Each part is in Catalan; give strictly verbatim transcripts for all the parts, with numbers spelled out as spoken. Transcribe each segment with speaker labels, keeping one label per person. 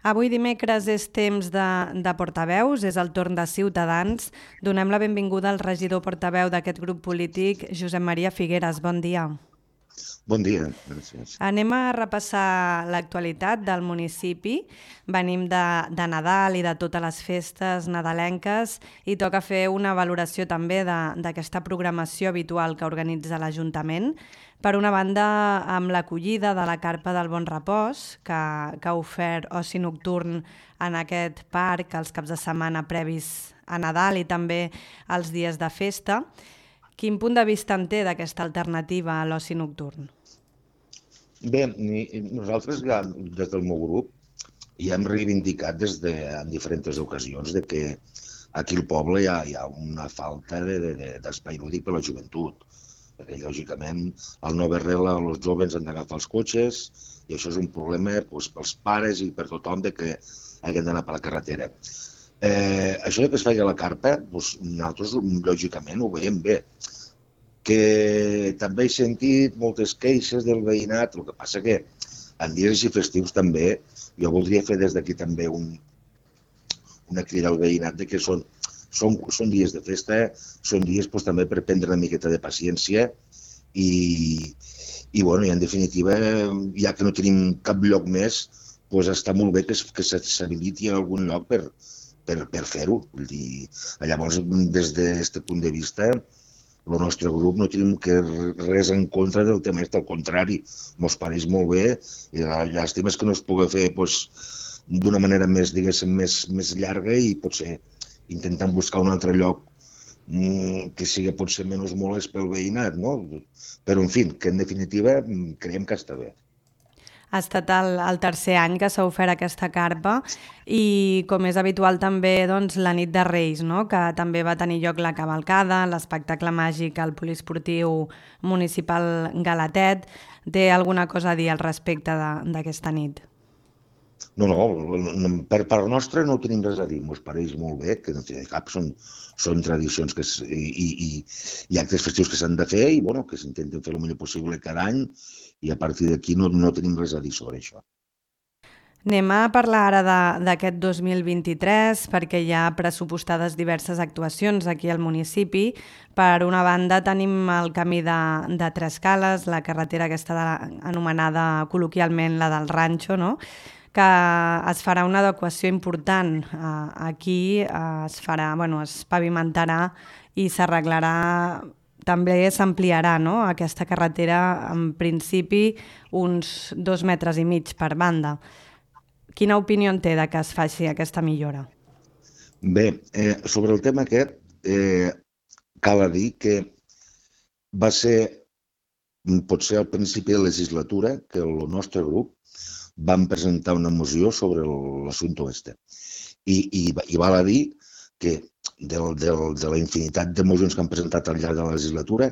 Speaker 1: Avui dimecres és temps de, de portaveus, és el torn de Ciutadans. Donem la benvinguda al regidor portaveu d'aquest grup polític, Josep Maria Figueres. Bon dia.
Speaker 2: Bon dia, gràcies.
Speaker 1: Anem a repassar l'actualitat del municipi. Venim de, de Nadal i de totes les festes nadalenques i toca fer una valoració també d'aquesta programació habitual que organitza l'Ajuntament. Per una banda, amb l'acollida de la Carpa del Bon Repòs, que, que ha ofert oci nocturn en aquest parc els caps de setmana previs a Nadal i també els dies de festa. Quin punt de vista en té d'aquesta alternativa a l'oci nocturn?
Speaker 2: Bé, nosaltres ja, des del meu grup ja hem reivindicat des de, en diferents ocasions de que aquí al poble hi ha, hi ha una falta d'espai lúdic per a la joventut. Perquè, lògicament, el nou arrel els joves han d'agafar els cotxes i això és un problema doncs, pels pares i per tothom de que hagin d'anar per la carretera. Eh, això que es feia a la carpa, doncs, nosaltres, lògicament, ho veiem bé. Que també he sentit moltes queixes del veïnat, el que passa que en dies així festius també, jo voldria fer des d'aquí també un, una crida al veïnat de que són, són, són dies de festa, són dies doncs, també per prendre una miqueta de paciència i, i, bueno, i en definitiva, ja que no tenim cap lloc més, doncs està molt bé que, que s'habiliti en algun lloc per, per, per fer-ho. Llavors, des d'aquest punt de vista, el nostre grup no tenim que res en contra del tema, al contrari, mos pareix molt bé i la llàstima és que no es pugui fer doncs, d'una manera més, diguéssim, més, més llarga i potser intentant buscar un altre lloc mmm, que sigui potser menys molest pel veïnat, no? Però, en fi, que en definitiva creiem que està bé.
Speaker 1: Ha estat el, el tercer any que s'ha ofert aquesta carpa i, com és habitual també, doncs, la nit de Reis, no? Que també va tenir lloc la cavalcada, l'espectacle màgic al poliesportiu municipal Galatet. Té alguna cosa a dir al respecte d'aquesta nit?
Speaker 2: No, no, per part nostra no tenim res a dir, ens pareix molt bé, que no té cap, són, són tradicions que es, i, i, i actes festius que s'han de fer i bueno, que s'intenten fer el millor possible cada any i a partir d'aquí no, no tenim res a dir sobre això.
Speaker 1: Anem a parlar ara d'aquest dos mil vint-i-tres perquè hi ha pressupostades diverses actuacions aquí al municipi. Per una banda tenim el camí de, de Tres Cales, la carretera aquesta de, anomenada col·loquialment la del Ranxo, no? Que es farà una adequació important. Aquí es farà, bueno, es pavimentarà i s'arreglarà, també s'ampliarà, no? Aquesta carretera, en principi, uns dos metres i mig per banda. Quina opinió en té de que es faci aquesta millora?
Speaker 2: Bé, eh, sobre el tema aquest, eh, cal dir que va ser, potser al principi de la legislatura, que el nostre grup vam presentar una moció sobre l'assumpte este. I, i, i val a dir que del, del, de la infinitat de mocions que han presentat al llarg de la legislatura,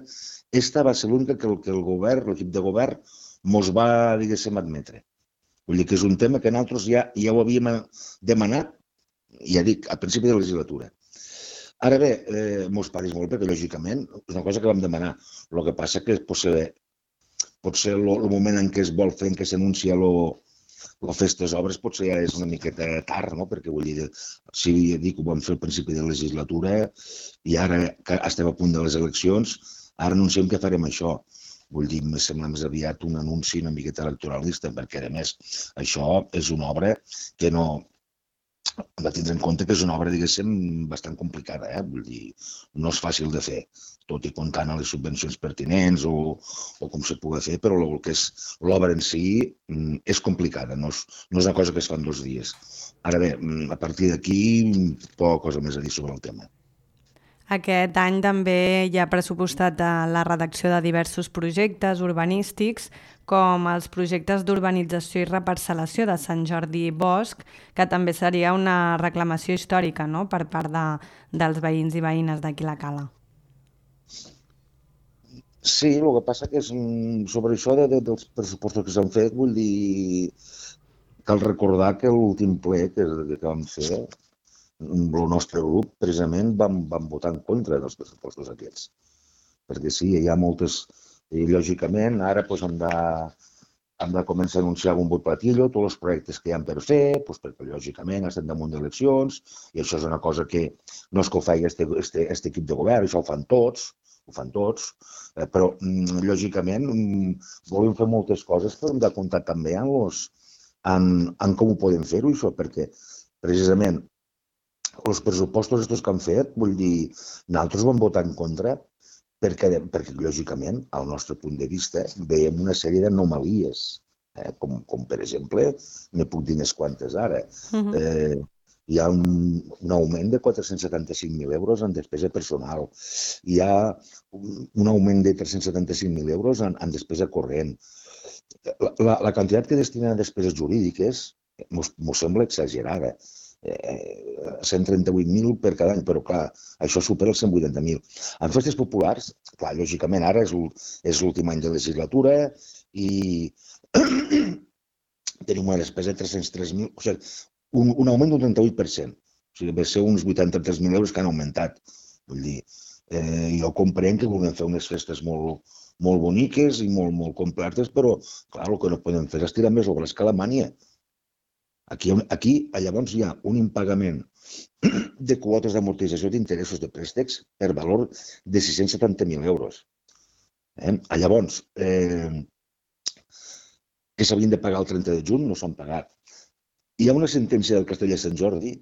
Speaker 2: esta va ser l'única que, que el govern, l'equip de govern, mos va, diguéssim, admetre. Vull dir que és un tema que nosaltres ja, ja ho havíem demanat, ja dic, al principi de la legislatura. Ara bé, eh, mos pareix molt perquè, lògicament, és una cosa que vam demanar. El que passa que potser, potser el, el moment en què es vol fer, en què s'anuncia les festes obres, potser ja és una miqueta tard, no? Perquè vull dir, si ja dic, ho vam fer al principi de la legislatura i ara que estem a punt de les eleccions, ara anunciem que farem això. Vull dir, em sembla més aviat un anunci una miqueta electoralista, perquè, a més, això és una obra que no... Hem de tindre en compte que és una obra, diguéssim, bastant complicada, eh? Vull dir, no és fàcil de fer, tot i comptant a les subvencions pertinents o, o com se pugui fer, però el que és l'obra en si és complicada, no és, no és una cosa que es fa en dos dies. Ara bé, a partir d'aquí, poca cosa més a dir sobre el tema.
Speaker 1: Aquest any també hi ha pressupostat la redacció de diversos projectes urbanístics, com els projectes d'urbanització i reparcel·lació de Sant Jordi Bosch, que també seria una reclamació històrica, no?, per part de, dels veïns i veïnes d'aquí la Cala.
Speaker 2: Sí, el que passa que és, sobre això de, de, dels pressupostos que s'han fet, vull dir, cal recordar que l'últim ple que, que vam fer, el nostre grup, precisament, vam, vam votar en contra dels pressupostos aquests. Perquè sí, hi ha moltes... I, lògicament, ara doncs, hem de, hem de començar a anunciar un vot platillo tots els projectes que hi ha per fer, doncs perquè lògicament estem damunt d'eleccions i això és una cosa que no és que ho faci este, este, este equip de govern, això ho fan tots, ho fan tots, eh, però mm, lògicament mm, volem fer moltes coses, però hem de comptar també en, los, en, en com ho podem fer-ho, això, perquè precisament els pressupostos estos que han fet, vull dir, nosaltres vam votar en contra perquè, perquè lògicament, al nostre punt de vista, veiem una sèrie d'anomalies, eh? com, com per exemple, ne puc dir unes quantes ara. Uh-huh. eh, hi ha un, un augment de quatre-cents setanta-cinc mil euros en despesa personal, hi ha un, un augment de tres-cents setanta-cinc mil euros en, en despesa corrent. La, la, la quantitat que destinen a despeses jurídiques mos sembla exagerada. Eh, cent trenta-vuit mil per cada any, però clar, això supera els cent vuitanta mil. En festes populars, clar, lògicament ara és l'últim any de legislatura i tenim una despesa de tres-cents tres mil, o sigui, un, un augment d'un trenta-vuit per cent. O sigui, va ser uns vuitanta-tres mil euros que han augmentat. Vull dir, eh, jo comprenc que volem fer unes festes molt, molt boniques i molt, molt completes, però clar, el que no podem fer és tirar més obres que Alemanya. Aquí, aquí, llavors, hi ha un impagament de quotes d'amortització d'interessos de préstecs per valor de sis-cents setanta mil euros. Eh? Llavors, eh, que s'havien de pagar el trenta de juny, no s'han pagat. Hi ha una sentència del Castell de Sant Jordi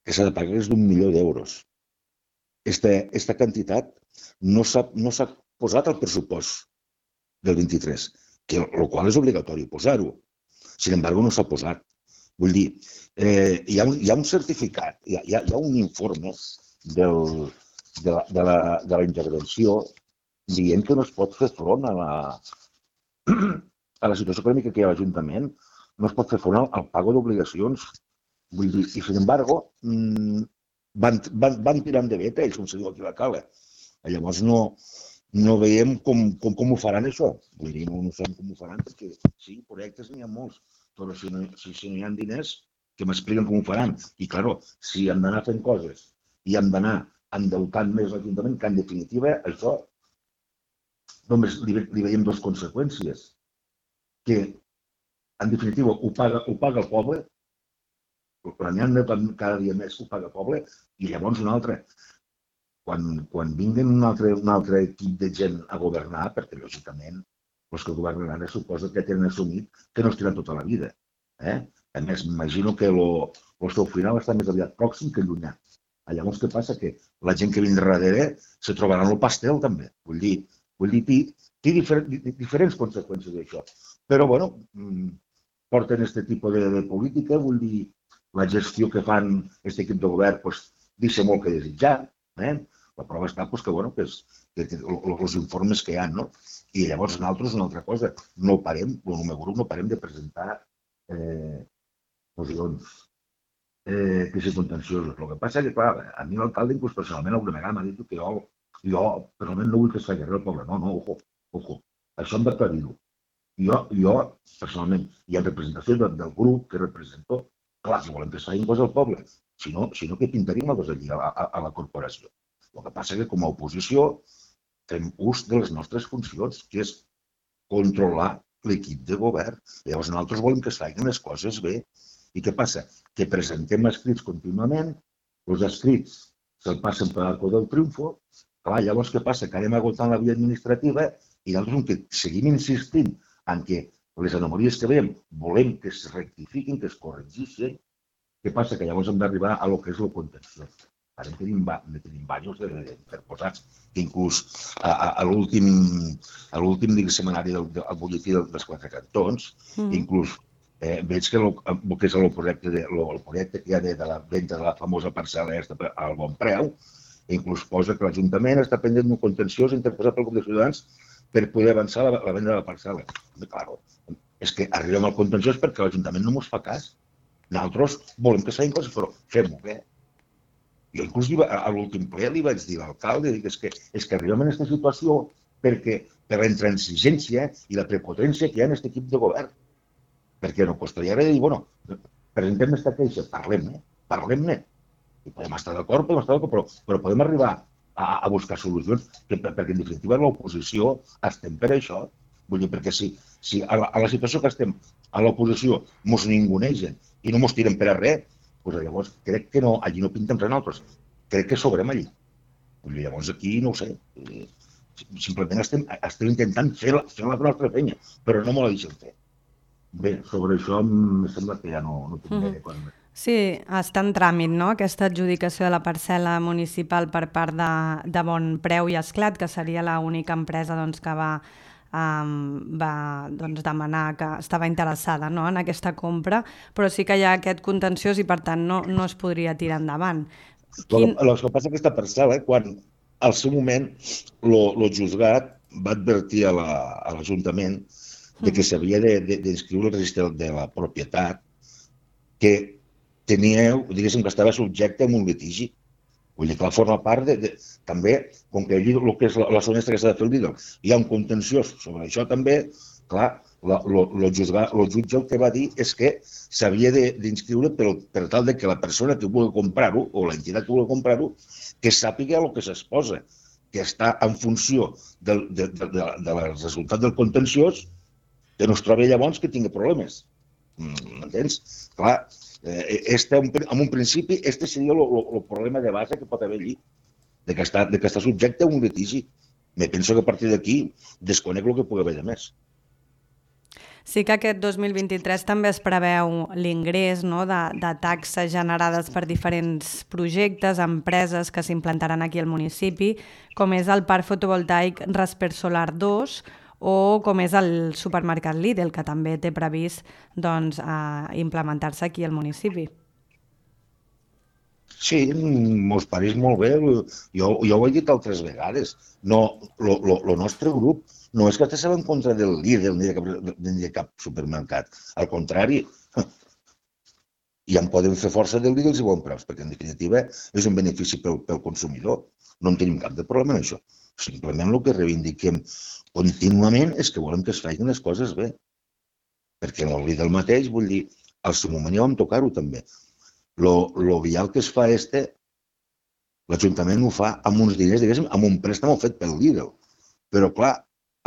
Speaker 2: que s'ha de pagar és d'un milió d'euros. Esta, esta quantitat no s'ha no s'ha posat al pressupost del vint-i-tres, que el qual és obligatori posar-ho. Sin embargo, no s'ha posat. Vull dir, eh, hi, ha un, hi ha un certificat, hi ha, hi ha un informe del, de, la, de, la, de la intervenció dient que no es pot fer front a la, a la situació econòmica que hi ha a l'Ajuntament, no es pot fer front al, al pago d'obligacions. Vull dir, i sin embargo, mmm, van, van, van tirant de veta ells, com se diu aquí a la Cala. Llavors no, no veiem com, com, com ho faran això. Vull dir, no, no sabem com ho faran, perquè sí, projectes n'hi ha molts. Però si no, si, si no hi ha diners, que m'expliquen com ho faran. I, clar, si hem d'anar fent coses i hem d'anar endeutant més l'Ajuntament, que en definitiva això només li, li veiem dues conseqüències. Que, en definitiva, ho paga, ho paga el poble, l'any cada dia més ho paga el poble, i llavors un altre. Quan, quan vinguen un altre, un altre equip de gent a governar, perquè, lògicament, els que governaran es suposa que tenen assumit que no es tiran tota la vida. Eh? A més, m'imagino que el seu final està més aviat pròxim que llunyà. Llavors, què passa? Que la gent que vindrà darrere se trobarà en el pastel, també. Vull dir, vull dir té, té difer, diferents conseqüències d'això. Però, bueno, porten aquest tipus de, de política, vull dir, la gestió que fan aquest equip de govern pues, deixa molt que desitjar. Eh? La prova està pues, que, bueno, que, és, que, que els informes que hi ha, no? I llavors nosaltres una altra cosa, no parem, el meu grup no parem de presentar eh, mocions eh, que són contenciosos. El que passa és que, clar, a mi l'alcalde, inclús personalment, alguna vegada m'ha dit que jo, jo personalment no vull que es faci res al poble. No, no, ojo, ojo, això hem d'aclarir-ho. Jo, jo, personalment, hi ha representació del, del grup que represento, clar, si volem que es facin coses al poble, si no, si no que pintaríem coses allí a, a, a la corporació. El que passa és que com a oposició fem ús de les nostres funcions, que és controlar l'equip de govern. Llavors nosaltres volem que es facin les coses bé. I què passa? Que presentem escrits contínuament, els escrits se'l passen per l'arco del triomfo, clar, llavors què passa? Que anem agotant la via administrativa i nosaltres que seguim insistint en que les anomalies que veiem volem que es rectifiquin, que es corregeixin. Què passa? Que llavors hem d'arribar a lo que és el contenciós. Ara en tenim, tenim diversos interposats, que inclús a, a, a l'últim setmanari del, del butlletí dels quatre cantons, mm. inclús eh, veig que el que és el projecte, de, el projecte que hi ha de, de la venda de la famosa parcel·la al bon preu, inclús posa que l'Ajuntament està pendent d'un contenciós interposat pel grup de ciutadans per poder avançar la, la venda de la parcel·la. Clar, és que arribem al contenciós perquè l'Ajuntament no ens fa cas. Nosaltres volem que s'hagin coses, però fem-ho bé. Jo inclús a l'últim ple li vaig dir a l'alcalde que és que, és que arribem en aquesta situació perquè per la intransigència i la prepotència que hi ha en aquest equip de govern. Perquè no costaria res de dir, bueno, presentem aquesta queixa, parlem-ne, parlem-ne. I podem estar d'acord, podem estar d'acord, però, però podem arribar a, a buscar solucions, que, perquè en definitiva l'oposició estem per això. Vull dir, perquè si, si a la, a la situació que estem a l'oposició mos ningunegen i no mos tiren per a res, doncs llavors crec que no, allí no pintem res nosaltres. Crec que sobrem allí. Llavors aquí no ho sé. Simplement estem, estem intentant fer la, fer la nostra feina, però no me la deixen fer. Bé, sobre això em sembla que ja no, no tinc mm. gaire cosa més.
Speaker 1: Sí, està en tràmit, no?, aquesta adjudicació de la parcel·la municipal per part de, de Bon Preu i Esclat, que seria l'única empresa doncs, que va, um, va doncs, demanar que estava interessada, no?, en aquesta compra, però sí que hi ha aquest contenciós i per tant no, no es podria tirar endavant.
Speaker 2: Quin... El, el que passa aquesta parcel·la, quan al seu moment el juzgat va advertir a l'Ajuntament la, de que s'havia d'inscriure al registre de la propietat que teníeu, diguéssim, que estava subjecte a un litigi. Vull dir que la forma part de, de també, com que allí el que és la, la zona que s'ha de fer el vídeo, hi ha un contenciós sobre això també, clar, el jutge el que va dir és que s'havia d'inscriure per, per tal de que la persona que vulgui comprar-ho, o l'entitat que vulgui comprar-ho, que sàpiga el que s'exposa, que està en funció del, de, de, de, del resultat del contenciós, que no es trobi llavors que tingui problemes. M'entens? Clar, este, en un principi, este seria el problema de base que pot haver allí, de que està, de que està subjecte a un litigi. Me penso que a partir d'aquí desconec el que pugui haver de més.
Speaker 1: Sí que aquest dos mil vint-i-tres també es preveu l'ingrés, no?, de, de taxes generades per diferents projectes, empreses que s'implantaran aquí al municipi, com és el Parc Fotovoltaic Rasper Solar dos, o com és el supermercat Lidl, que també té previst doncs, implementar-se aquí al municipi.
Speaker 2: Sí, mos pareix molt bé. Jo, jo ho he dit altres vegades. No, el nostre grup no és que estiguem en contra del Lidl ni de cap, ni de cap supermercat. Al contrari, ja en podem fer força del Lidl si volen preus, perquè en definitiva és un benefici pel, pel consumidor. No en tenim cap de problema en això. Simplement el que reivindiquem contínuament és que volem que es facin les coses bé. Perquè en el Lidl mateix, vull dir, al seu moment ja vam tocar-ho també. Lo vial que es fa este, l'Ajuntament ho fa amb uns diners, diguéssim, amb un préstamo fet pel Lidl. Però, clar,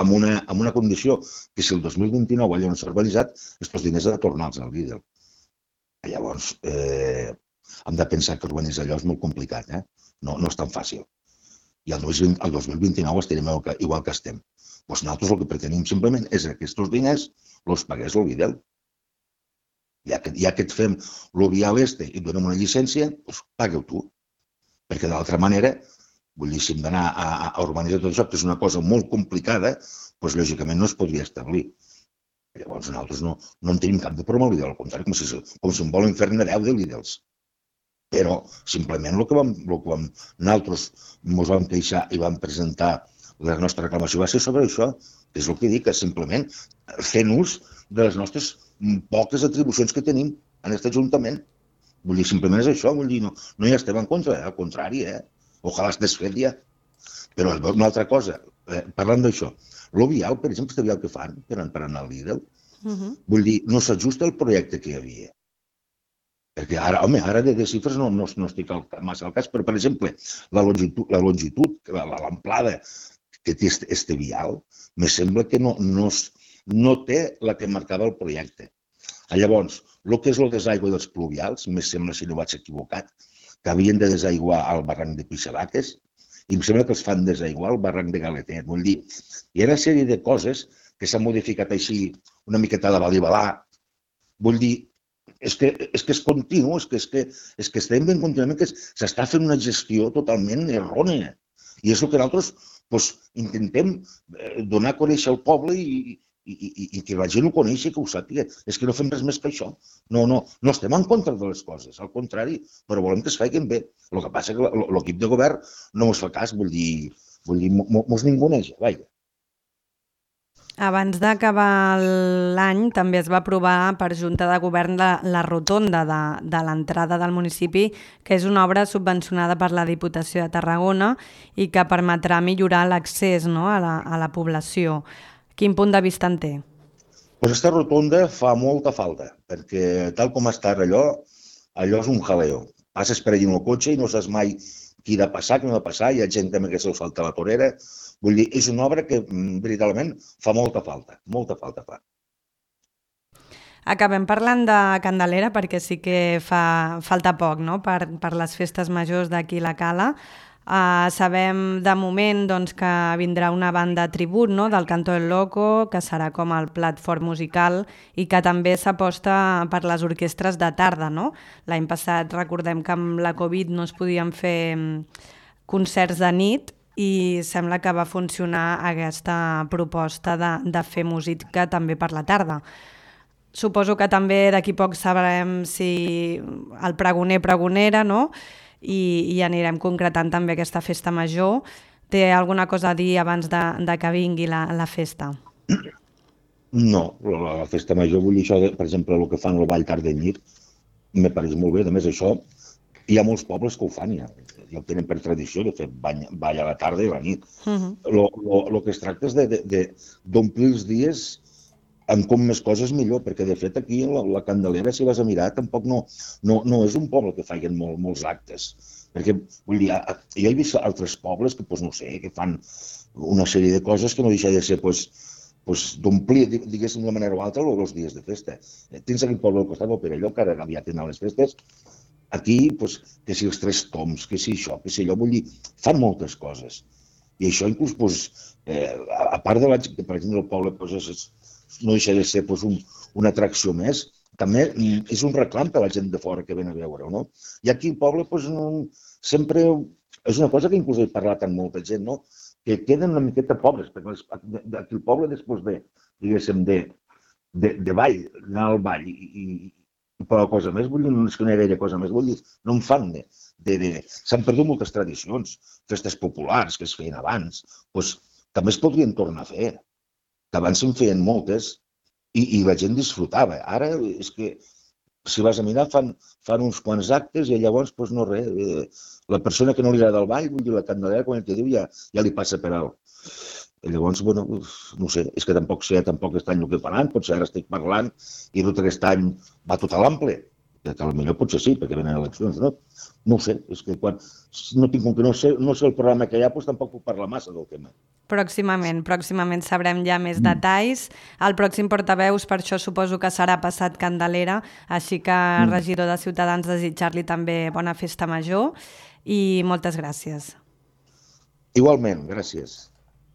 Speaker 2: amb una, amb una condició que si el dos mil vint-i-nou allò no s'ha realitzat, aquests diners han de tornar-los al Lidl. Llavors, eh, hem de pensar que organitzar allò és molt complicat, eh? No, no és tan fàcil. I el dos mil vint-i-nou estarem igual que estem. Doncs nosaltres el que pretenim simplement és que aquests diners els pagués el Lidl. Ja que, ja que et fem el vial este i et donem una llicència, doncs pague-ho tu. Perquè d'altra manera, vull dir, si hem d'anar a, a urbanitzar tot això, que és una cosa molt complicada, doncs lògicament no es podria establir. Llavors nosaltres no, no en tenim cap de problema amb el Lidl, al contrari, com si, com si em volen fer-ne deu de Lidls. Però simplement el que vam, el que vam, nosaltres ens vam queixar i vam presentar la nostra reclamació va ser sobre això, que és el que dic, que simplement fent ús de les nostres poques atribucions que tenim en aquest Ajuntament. Vull dir, simplement és això, vull dir, no, no hi estem en contra, eh? Al contrari, eh? Ojalà es desfet ja. Però una altra cosa, eh, parlant d'això, el vial, per exemple, este vial que fan per anar al Lidl, uh-huh. Vull dir, no s'ajusta al projecte que hi havia. Perquè ara, home, ara de, de xifres no, no, no estic al, massa al cas, però, per exemple, la longitud, la longitud, l'amplada que té este, este vial, me sembla que no, no, no té la que marcava el projecte. Llavors, el que és el desaigua dels pluvials, me sembla, si no vaig equivocat, que havien de desaiguar al barranc de Pixelaques, i em sembla que els fan desaiguar al barranc de Galetet. Vull dir, hi ha una sèrie de coses que s'han modificat així una miqueta de balibalà. Vull dir, és que és, que és continu, és que, és que, és que estem ben contínuament que s'està fent una gestió totalment errònia. I és el que nosaltres doncs, intentem donar a conèixer al poble i, i, i, i que la gent ho coneixi, que ho sàpiga. És que no fem res més que això. No, no, no estem en contra de les coses, al contrari, però volem que es facin bé. El que passa és que l'equip de govern no ens fa cas, vull dir, vull dir, mos ninguneja, vaja.
Speaker 1: Abans d'acabar l'any també es va aprovar per Junta de Govern la, la rotonda de, de l'entrada del municipi, que és una obra subvencionada per la Diputació de Tarragona i que permetrà millorar l'accés, no, a, la, a la població. Quin punt de vista en té?
Speaker 2: Pues aquesta rotonda fa molta falta, perquè tal com està allò, allò és un jaleo. Passes per allà en el cotxe i no saps mai qui ha de passar, qui no ha de passar, hi ha gent també que se'l falta la torera. Vull dir, és una obra que veritablement fa molta falta, molta falta fa.
Speaker 1: Acabem parlant de Candelera perquè sí que fa falta poc, no?, per, per les festes majors d'aquí la Cala. Uh, sabem de moment doncs, que vindrà una banda tribut, no?, del Canto del Loco, que serà com el plat fort musical i que també s'aposta per les orquestres de tarda, no? L'any passat recordem que amb la Covid no es podien fer concerts de nit i sembla que va funcionar aquesta proposta de, de fer música també per la tarda. Suposo que també d'aquí poc sabrem si el pregoner pregonera, no?, i, i anirem concretant també aquesta festa major. Té alguna cosa a dir abans de, de que vingui la, la festa?
Speaker 2: No, la, la festa major, vull dir això, de, per exemple, el que fan el ball tarda i nit, me pareix molt bé. A més, això, hi ha molts pobles que ho fan ja, ja ho tenen per tradició de fer ball, ball a la tarda i a la nit. Uh-huh. lo, lo, lo que es tracta és d'omplir els dies amb com més coses millor, perquè de fet aquí la, la Candelera, si vas a mirar, tampoc no, no, no és un poble que facin molt, molts actes. Perquè, vull dir, jo he vist altres pobles que, pues, no sé, que fan una sèrie de coses que no deixa de ser, pues, pues, d'omplir, diguéssim, d'una manera o altra, els dies de festa. Tens aquí el poble al costat del Perelló, que ara aviat tindrà les festes. Aquí, pues, que si els tres toms, que si això, que si allò, vull dir, fan moltes coses. I això inclús, pues, eh, a part de la gent que, per exemple, el poble, pues, és, no deixa de ser pues, un, una atracció més, també és un reclam per a la gent de fora que ven a veure-ho, no? I aquí al poble pues, no, sempre és una cosa que inclús he parlat amb molta gent, no? Que queden una miqueta pobres, perquè aquí el poble després ve, diguéssim, de, de, de ball, anar al ball i, i, i per la cosa més, vull dir, no és que no hi ha gaire cosa més, vull dir, no en fan de... de, de... S'han perdut moltes tradicions, festes populars que es feien abans, doncs també es podrien tornar a fer. Que abans se'n feien moltes i, i la gent disfrutava. Ara és que, si vas a mirar, fan, fan uns quants actes i llavors, doncs no res. Eh, la persona que no li agrada el ball, vull dir, la Candelera, quan el que diu, ja, ja li passa per alt. I llavors, bueno, no sé, és que tampoc sé, tampoc aquest any el que faran, potser ara estic parlant i tot aquest any va tot a l'ample. Que potser potser sí, perquè venen eleccions, no? No ho sé, és que quan no tinc com que no sé, no sé el programa que hi ha, doncs tampoc puc parlar massa del tema.
Speaker 1: Pròximament, pròximament sabrem ja més mm. detalls. El pròxim portaveus, per això suposo que serà passat Candelera, així que, mm. regidor de Ciutadans, desitjar-li també bona festa major i moltes gràcies.
Speaker 2: Igualment, gràcies.